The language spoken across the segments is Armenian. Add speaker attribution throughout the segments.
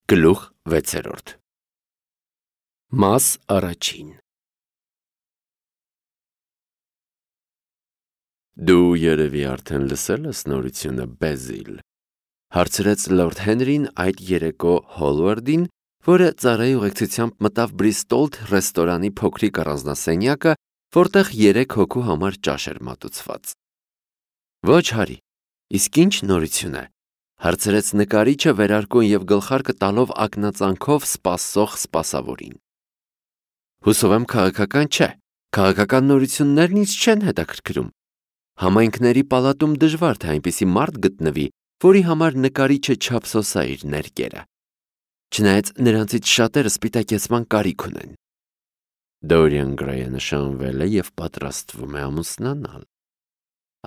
Speaker 1: Գլուխ 6 Մաս առաջին Դու երևի արդեն լսել ես նորությունը, Բեզիլ, հարցրեց լորդ Հենրին այդ երեկո Հոլվարդին, որը ծառայի ուղեկցությամբ մտավ Բրիստոլ ռեստորանի փոքրիկ առանձնասենյակը, որտեղ 3 հոգու համար ճաշ էր մատուցված։ Ոչ, Հարի, իսկ ինչ նորություն է, հարցրեց նկարիչը վերարկուն և գլխարկը տալով ակնածանքով սպասող սպասավորին։ Հուսով եմ քաղաքական չէ, քաղաքական նորություններն ինձ չեն հետաքրքրում։ Համայնքների պալատում դժվար թե այնպիսի մարդ գտնվի, որի համար նկարիչը չափսոսա իր ներկերը։ Չնայած նրանցից շատերը սպիտակեցման կարիք ունեն։ Դորիան Գրեյը նշանվել է և պատրաստվում է ամուսնանալ,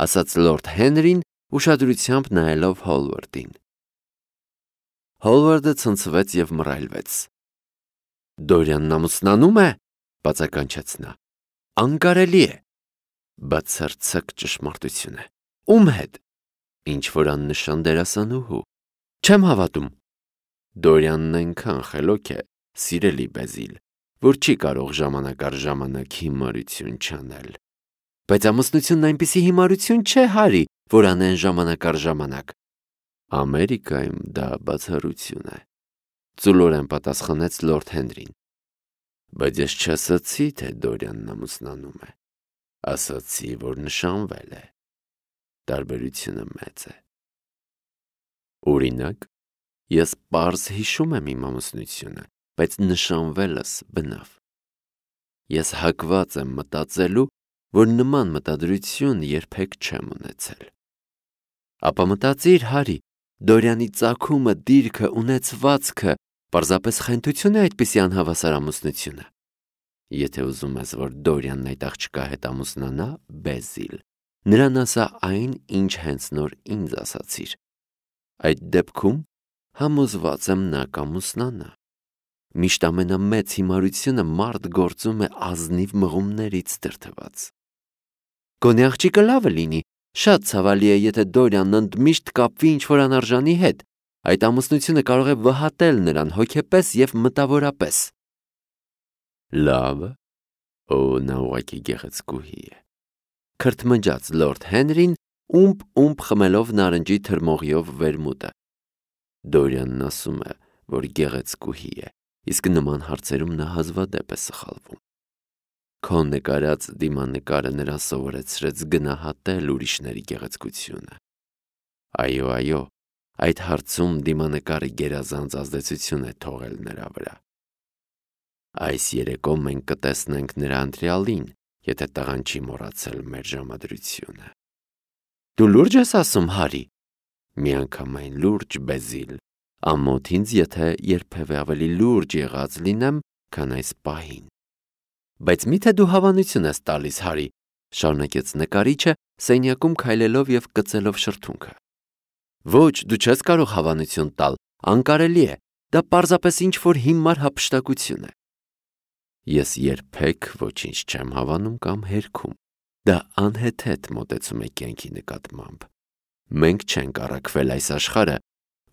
Speaker 1: ասաց լորդ Հենրին, ուշադրությամբ նայելով Հոլվարդին։ Հոլվարդը ցնցվեց և մռայլվեց։ Դորիանն ամուսնանում է, բացականչեց նա։ Անկարելի է։ Բացարձակ ճշմարտություն է։ Ում հետ։ Ինչ-որ աննշան դերասանուհու։ Չեմ հավատում։ Դորիանն այնքան խելոք է, սիրելի Բեզիլ, որ չի կարող ժամանակ առ ժամանակ հիմարություն չանել։ Բայց ամուսնությունն այնպիսի հիմարություն չէ, Հարի, որ անեն ժամանակ առ ժամանակ։ Ամերիկայում դա բացառություն է, ծուլորեն պատասխանեց լորդ Հենրին։ Բայց ես չասացի, թե Դորիանն ամուսնանում է, ասացի, որ նշանվել է։ Տարբերությունը մեծ է։ Օրինակ, ես պարզ հիշում եմ իմ ամուսնությունը, բայց նշանվելս բնավ։ Ես հակված եմ մտածելու, որ նման մտադրություն երբեք չեմ ունեցել։ Ապա մտածիր, Հարի, Դորիանի ծագումը, դիրքը, ունեցվածքը պարզապես խենթություն է այդպիսի անհավասար ամուսնությունը։ Եթե ուզում ես, որ Դորիանն այդ աղջկա հետ ամուսնանա, Բեզիլ, նրան ասա այն, ինչ հենց նոր ինձ ասացիր։ Այդ դեպքում համոզված եմ նա կամուսնանա։ Միշտ ամենամեծ հիմարությունը մարդ գործում է ազնիվ մղումներից դրդված։ Գոնե աղջիկը լավը լինի, շատ ցավալի է, եթե Դորիանն ընդմիշտ կապվի ինչ-որ անարժանի հետ, այդ ամուսնությունը կարող է վհատել նրան հոգեպես և մտավորապես։ Լավը, նա ուղղակի գեղեցկուհի է, քրթմնջաց լորդ Հենրին, ումպ խմելով նարնջի թրմողիով վերմուտը։ Դորիանն ասում է, որ գեղեցկուհի է, իսկ նման հարցերում նա հազվադեպ է սխալվում։ Քո նկարած դիմանկարը նրան սովորեցրեց գնահատել ուրիշների գեղեցկությունը։ Այո, այդ հարցում դիմանկարը գերազանց ազդեցություն է թողել նրա վրա։ Այս երեկո մենք կտեսնենք նրա ընտրյալին, եթե տղան չի մոռացել մեր ժամադրությունը։ Դու լուրջ ես ասում, Հարի։ Միանգամայն լուրջ, Բեզիլ, ամոթ ինձ, եթե երբևէ ավելի լուրջ եղած լինեմ, քան այս պահին։ Բայց միթե դու հավանություն ես տալիս, Հարի, շարունակեց նկարիչը, սենյակում քայլելով և կծելով շրթունքը։ Ոչ, դու չես կարող հավանություն տալ, անկարելի է, դա պարզապես ինչ-որ հիմար հափշտակություն է։ Ես երբեք ոչինչ չեմ հավանում կամ հերքում, դա անհեթեթ մոտեցում է կյանքի նկատմամբ։ Մենք չենք առաքվել այս աշխարհը,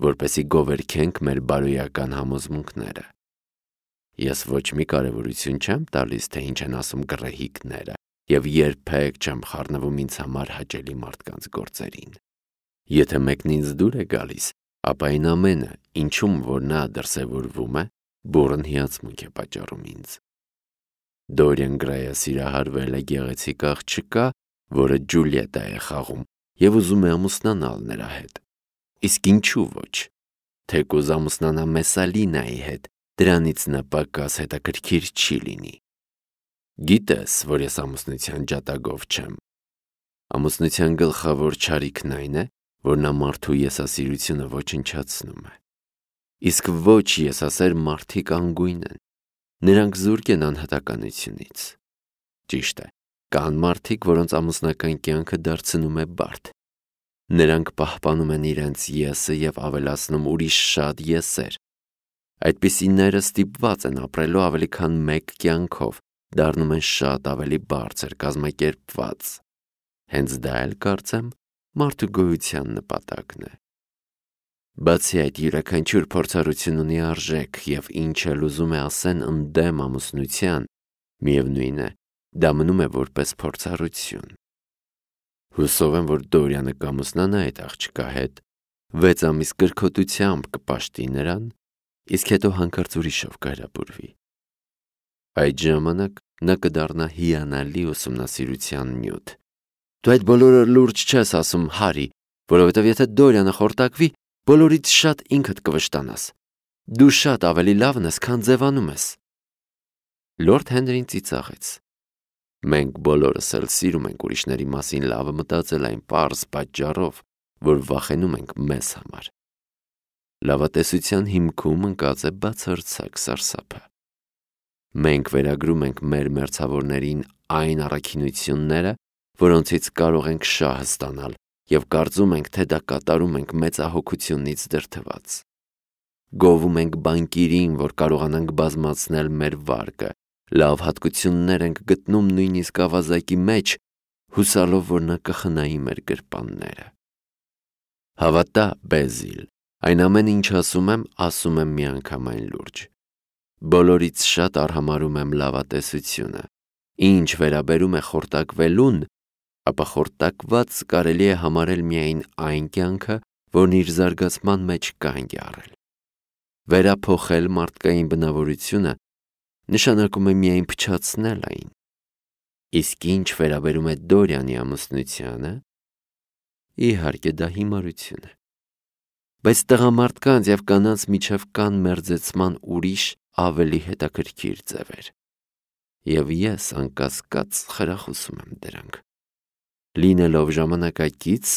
Speaker 1: որպեսզի գովերգենք մեր բարոյական համոզմունքները։ Ես ոչ մի կարևորություն չեմ տալիս, թե ինչ են ասում գռեհիկները, և երբեք չեմ խառնվում ինձ համար հաճելի մարդկանց գործերին։ Եթե մեկն ինձ դուր է գալիս, ապա այն ամենը, ինչում որ նա դրսևորվում է, բուռն հիացմունք է պատճառում ինձ։ Դորիան Գրեյը սիրահարվել է գեղեցիկ աղջկա, որը Ջուլիետա է խաղում, և ուզում է ամուսնանալ նրա հետ։ Իսկ ինչու ոչ։ Թեկուզ ամուսնանա Մեսալինայի հետ, դրանից նա պակաս հետաքրքիր չի լինի։ Գիտես, որ ես ամուսնության ջատագով չեմ։ Ամուսնության գլխավոր չարիքն այն է, որ նա մարդու եսասիրությունը ոչնչացնում է։ Իսկ ոչ եսասեր մարդիկ անգույն են։ Նրանք զուրկ են անհատականությունից։ Ճիշտ է, կան մարդիկ, որոնց ամուսնական կյանքը դարձնում է բարդ։ Նրանք պահպանում են իրենց եսը և ավելացնում ուրիշ շատ եսեր։ Այդպիսիները ստիպված են ապրելու ավելի քան մեկ կյանքով, դառնում են շատ ավելի բարձր կազմակերպված։ Հենց դա էլ կարծեմ մարդու գոյության նպատակն է։ Բացի այդ, յուրաքանչյուր փորձառություն ունի արժեք, եւ ինչ էլ ուզում է ասեն ընդդեմ ամուսնության, միևնույն է, դա մնում է որպես փորձառություն։ Հուսով եմ, որ Դորյանը կամուսնանա այդ աղջկա հետ, 6 ամիս կրքոտությամբ կպաշտի նրան, իսկ հետո հանկարծ ուրիշով կհրապուրվի։ Այդ ժամանակ նա կդառնա հիանալի ուսումնասիրության նյութ։ Դու այդ բոլորը լուրջ չես ասում, Հարի, որովհետև եթե Դորյանը խորտակվի, բոլորից շատ ինքդ կվշտանաս։ Դու շատ ավելի լավն ես, քան ձևանում ես։ Լորդ Հենրին ծիծաղեց։ Մենք բոլորս էլ սիրում ենք ուրիշների մասին լավը մտածել այն պարզ պատճառով, որ վախենում ենք մեզ համար։ Լավատեսության հիմքում ընկած է բացարձակ սարսափը։ Մենք վերագրում ենք մեր մերձավորներին այն առաքինությունները, որոնցից կարող ենք շահ ստանալ, եւ կարծում ենք, թե դա կատարում ենք մեծահոգությունից դրդված։ Գովում ենք բանկիրին, որ կարողանանք բազմացնել մեր վարկը, լավ հատկություններ ենք գտնում նույնիսկ ավազակի մեջ, հուսալով, որ նա կխնայի մեր գրպանները։ Հավատա, Բեզիլ, այն ամեն ինչ ասում եմ միանգամայն լուրջ։ Բոլորից շատ արհամարհում եմ լավատեսությունը։ Ինչ վերաբերում է խորտակվելուն, ապա խորտակված կարելի է համարել միայն այն կյանքը, որն իր զարգացման մեջ կանգ է առել։ Վերափոխել մարդկային բնավորությունը նշանակում է միայն փչացնել այն։ Իսկ ինչ վերաբերում է Դորյանի ամուսնությանը, իհարկե դա հիմարություն է։ Բայց տղամարդկանց եւ կանանց միջև կան մերձեցման ուրիշ ավելի հետաքրքիր ձևեր։ Եվ ես անկասկած խրախուսում եմ դրանք։ Լինելով ժամանակակից,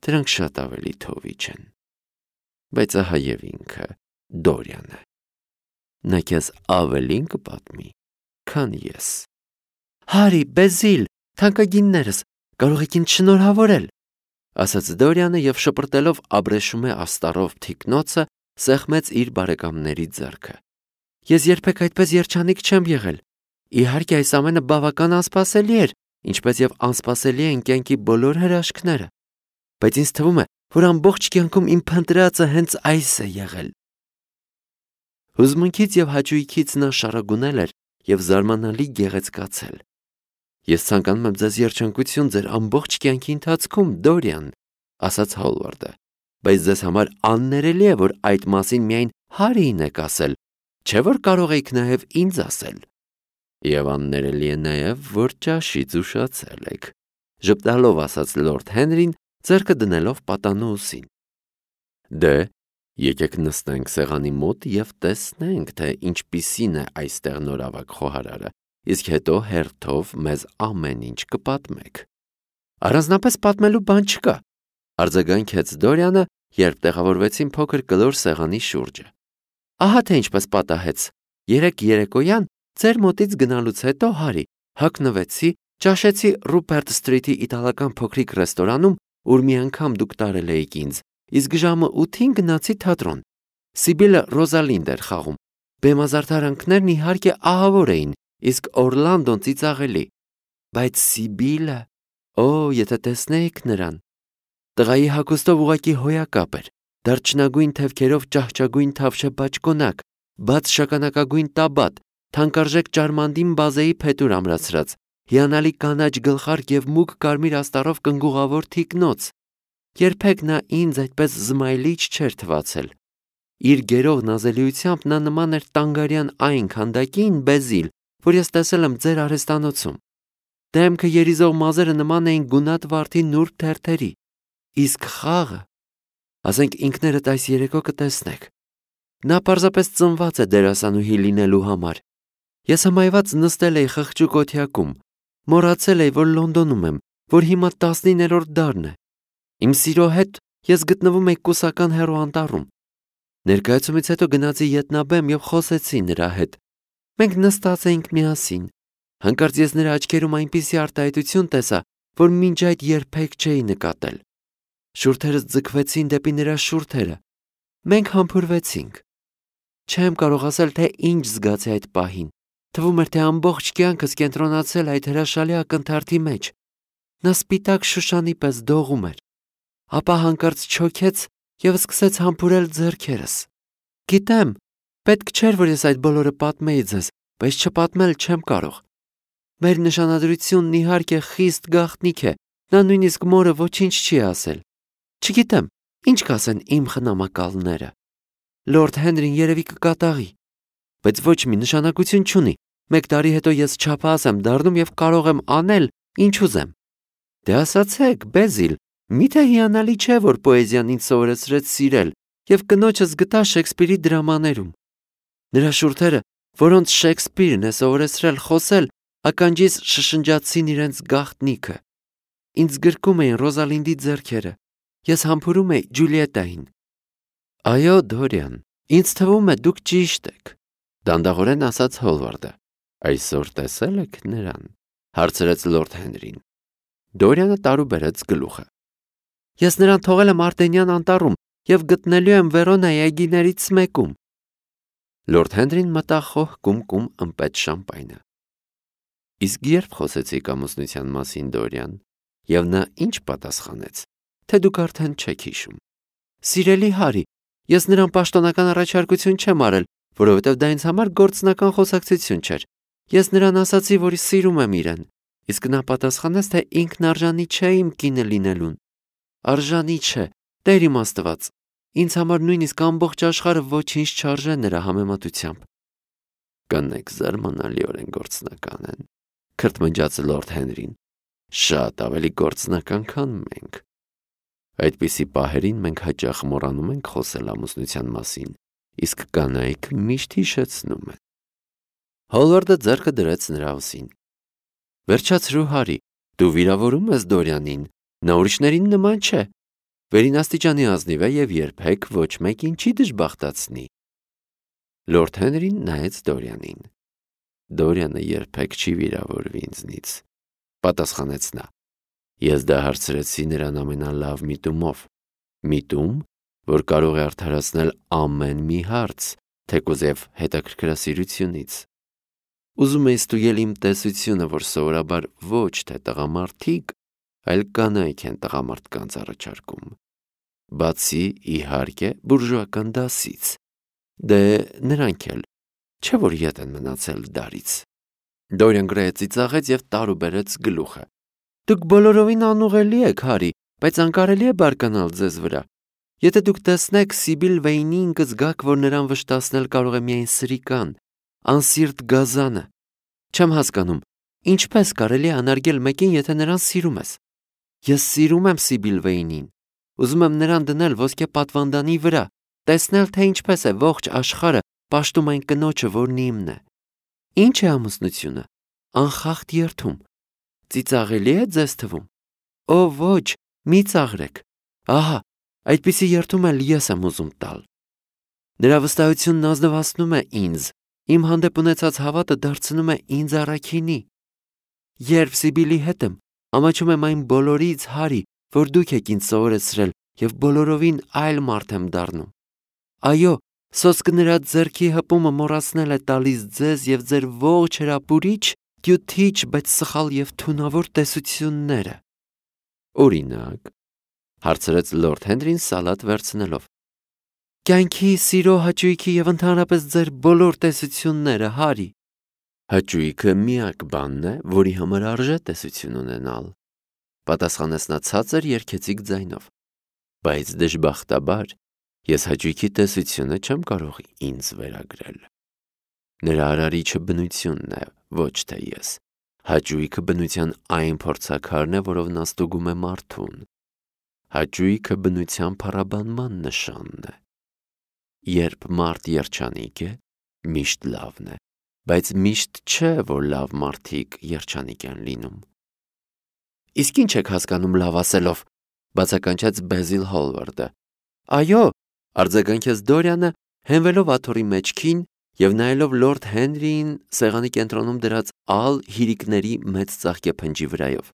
Speaker 1: դրանք շատ ավելի թովիչ են։ Բայց ահա եւ ինքը, Դորյանը։ Նա քեզ ավելին կպատմի, քան ես։ Հարի, Բեզիլ, թանկագիններս, կարող եք ինձ շնորհավորել, ասաց Դորյանը եւ շպրտելով աբրեշում է աստառով թիկնոցը, սեղմեց իր բարեկամների ձեռքը։ Ես երբեք այդպես երջանիկ չեմ եղել։ Իհարկե այս ամենը բավական անսպասելի էր, ինչպես եւ անսպասելի են կյանքի բոլոր հրաշքները։ Բայց ինձ թվում է, որ ամբողջ կյանքում իմ փնտրածը հենց այս է եղել։ Հուզմունքից եւ հաճույքից նա շարագունել էր եւ զարմանալի գեղեցկացել։ Ես ցանկանում եմ ձեզ երջանկություն ձեր ամբողջ կյանքի ընթացքում, Դորյան, ասաց Հոլվարդը, բայց ձեզ համար աններելի է, որ այդ մասին միայն Հարիին եք ասել, չէ՞ որ կարող եք նաեւ ինձ ասել։ Եվ աններելի է նաեւ, որ ճաշից ուշացել եք, ժպտալով ասաց Լորդ Հենրին, ձեռքը դնելով պատանու ուսին։ Դե, եկեք նստենք սեղանի մոտ եւ տեսնենք, թե ինչպիսին է այստեղ նորավակ խոհարարը, իսկ հետո հերթով մեզ ամեն ինչ կպատմեք։ Առանձնապես պատմելու բան չկա, արձագանքեց Դորյանը, երբ տեղավորվեցին փոքր կլոր սեղանի շուրջը։ Ահա թե ինչպես պատահեց։ Երեկ երեկոյան ձեր մոտից գնալուց հետո, Հարի, հագնվեցի, ճաշեցի Ռուպերտ Սթրիթի իտալական փոքրիկ ռեստորանում, ուր մի անգամ դուք տարել էիք ինձ, իսկ ժամը 8-ին գնացի թատրոն։ Սիբիլը Ռոզալինդ էր խաղում։ Բեմազարդարանքներն իհարկե ահավոր էին, իսկ Օրլանդոն ծիծաղելի։ Բայց Սիբիլը, եթե տեսնեիք նրան։ Տղայի հագուստով ուղղակի հոյակապ էր, դարչնագույն թևքերով ճահճագույն թավշե բաճկոնակ, բաց շագանակագույն տաբատ, թանկարժեք ճարմանդին բազեի փետուր ամրացրած, հիանալի կանաչ գլխարկ եւ մուգ կարմիր աստառով կնգուղավոր թիկնոց։ Երբեք նա ինձ այդպես զմայլիչ չէր թվացել։ Իր գերող նազելիությամբ նա նման էր տանգարյան այն քանդակին, Բեզիլ, որ ես տեսել եմ ձեր արհեստանոցում։ Դեմքը երիզող մազերը նման էին գունատ վարդի նուրբ թերթերի։ Իսկ խաղը, ասենք ինքներդ այս երեկո կտեսնեք։ Նա պարզապես ծնված է դերասանուհի լինելու համար։ Ես հմայված նստել էի խղճուկ օթյակում, մոռացել էի, որ Լոնդոնում եմ, որ հիմա 19-րդ դարն է։ Իմ սիրո հետ ես գտնվում էի կուսական հեռուանտառում։ Ներկայացումից հետո գնացի ետնաբեմ եւ խոսեցի նրա հետ։ Մենք նստած էինք միասին։ Հանկարծ ես նրա աչքերում այնպիսի արտահայտություն տեսա, որ մինչ այդ երբեք չէի նկատել։ Շուրթերս ձգվեցին դեպի նրա շուրթերը։ Մենք համբուրվեցինք։ Չեմ կարող ասել, թե ինչ զգացի այդ պահին։ Թվում էր, թե ամբողջ կյանքս կենտրոնացել այդ հրաշալի ակնթարթի մեջ։ Նա սպիտակ շուշանի պես դողում էր։ Ապա հանկարծ չոքեց և սկսեց համբուրել ձեռքերս։ Գիտեմ, պետք չէր, որ ես այդ բոլորը պատմեի ձեզ, բայց չպատմել չեմ կարող։ Մեր նշանադրությունն իհարկե խիստ գաղտնիք է, նա նույնիսկ մորը ոչինչ չի ասել։ Չգիտեմ, ինչ կասեն իմ խնամակալները։ Լորդ Հենրին երևի կկատաղի, բայց ոչ մի նշանակություն չունի։ 1 տարի հետո ես չափահաս եմ դառնում և կարող եմ անել, ինչ ուզեմ։ Դե ասացեք, Բեզիլ, միթե հիանալի չէ, որ պոեզիան ինձ սովորեցրեց սիրել և կնոջս գտա Շեքսպիրի դրամաներում։ Նրա շուրթերը, որոնց Շեքսպիրն է սովորեցրել խոսել, ականջիս շշնջացին իրենց գաղտնիքը։ Ինձ գրկում էին Ռոզալինդի ձեռքերը։ Ես համբուրում էի Ջուլիետային։ Այո, Դորիան, ինձ թվում է դուք ճիշտ եք, դանդաղորեն ասաց Հոլվարդը։ Այսօր տեսել եք նրան, հարցրեց լորդ Հենրին։ Դորիանը տարուբերեց գլուխը։ Ես նրան թողել եմ Արտենյան անտառում և գտնելու եմ Վերոնայի այգիներից մեկում։ Լորդ Հենրին մտավ խոհ կում ըմպետ շամպայնը։ Իսկ երբ խոսեցիք ամուսնության մասին, Դորիան, և նա ինչ պատասխանեց, թե դուք արդեն չեք հիշում։ Սիրելի Հարի, ես նրան պաշտոնական առաջարկություն չեմ արել, որովհետև դա ինձ համար գործնական խոսակցություն չէր։ Ես նրան ասացի, որ սիրում եմ իրեն, իսկ նա պատասխանեց, թե ինքն արժանի չէ իմ կինը լինելուն։ Արժանի չէ, Տեր իմ Աստված, ինձ համար նույնիսկ ամբողջ աշխարհը ոչինչ չարժե նրա համեմատությամբ։ Կանայք զարմանալիորեն գործնական են, քրթմնջաց լորդ Հենրին, շատ ավելի գործնական, քան մենք։ Այդպիսի պահերին մենք հաճախ մոռանում ենք խոսել ամուսնության մասին, իսկ կանայք միշտ հիշեցնում են։ Հոլվարդը ձեռքը դրեց նրա ուսին։ Վերջացրու, Հարի, դու վիրավորում ես Դորիանին, նա ուրիշներին նման չէ։ Վերին աստիճանի ազնիվ է և երբեք ոչ մեկին չի դժբախտացնի։ Լորդ Հենրին նայեց Դորիանին։ Դորիանը երբեք չի վիրավորվի ինձնից, պատասխանեց նա։ Ես դա հարցրեցի նրան ամենալավ միտումով, միտում, որ կարող է արդարացնել ամեն մի հարց, թեկուզ և հետաքրքրասիրությունից։ Ուզում էի ստուգել իմ տեսությունը, որ սովորաբար ոչ թե տղամարդիկ, այլ կանայք են տղամարդկանց առաջարկում։ Բացի, իհարկե, բուրժուական դասից։ Դե նրանք էլ, չէ՞ որ ետ են մնացել դարից։ Դորիան Գրեյը ծիծաղեց և տարուբերեց գլուխը։ Դուք բոլորովին անուղելի եք, Հարի, բայց անկարելի է բարկանալ ձեզ վրա։ Եթե դուք տեսնեք Սիբիլ Վեյնին, կզգաք, որ նրան վշտացնել կարող է միայն սրիկան, անսիրտ գազանը։ Չեմ հասկանում, ինչպես կարելի է անարգել մեկին, եթե նրան սիրում ես։ Ես սիրում եմ Սիբիլ Վեյնին։ Ուզում եմ նրան դնել ոսկե պատվանդանի վրա, տեսնել, թե ինչպես է ողջ աշխարհը պաշտում այն կնոջը, որն իմն է։ Ինչ է ամուսնությունը։ Անխախտ երդում։ Ծիծաղելի է ձեզ թվում։ Օ, ոչ, մի ծաղրեք։ Ահա, այդպիսի երդում էլ ես եմ ուզում տալ։ Նրա վստահությունն ազնվացնում է ինձ, իմ հանդեպ ունեցած հավատը դարձնում է ինձ առաքինի։ Երբ Սիբիլի հետ եմ, ամաչում եմ այն բոլորից, Հարի, որ դուք եք ինձ սովորեցրել, և բոլորովին այլ մարդ եմ դառնում։ Այո, սոսկը նրա ձեռքի հպումը մոռացնել է տալիս ձեզ և ձեր ողջ հրապուրիչ, կյութիչ, բայց սխալ և թունավոր տեսությունները։ Օրինակ, հարցրեց լորդ Հենրին սալատ վերցնելով։ Կյանքի, սիրո, հաճույքի և ընդհանրապես ձեր բոլոր տեսությունները, Հարի։ Հաճույքը միակ բանն է, որի համար արժե տեսություն ունենալ, պատասխանեց նա ցածր երգեցիկ ձայնով։ Բայց դժբախտաբար ես հաճույքի տեսությունը չեմ կարող ինձ վերագրել։ Նրա արարիչը բնությունն է, ոչ թե ես։ Հաճույքը բնության այն փորձաքարն է, որով նա ստուգում է մարդուն։ Հաճույքը բնության փառաբանման նշանն է։ Երբ մարդ երջանիկ է, միշտ լավն է, բայց միշտ չէ, որ լավ մարդիկ երջանիկ են լինում։ Իսկ ինչ եք հասկանում լավ ասելով, բացականչեց Բեզիլ Հոլվարդը։ Այո, արձագանքեց Դորիանը, հենվելով աթոռի մեջքին և նայելով լորդ Հենրիին սեղանի կենտրոնում դրած ալ հիրիկների մեծ ծաղկեփնջի վրայով։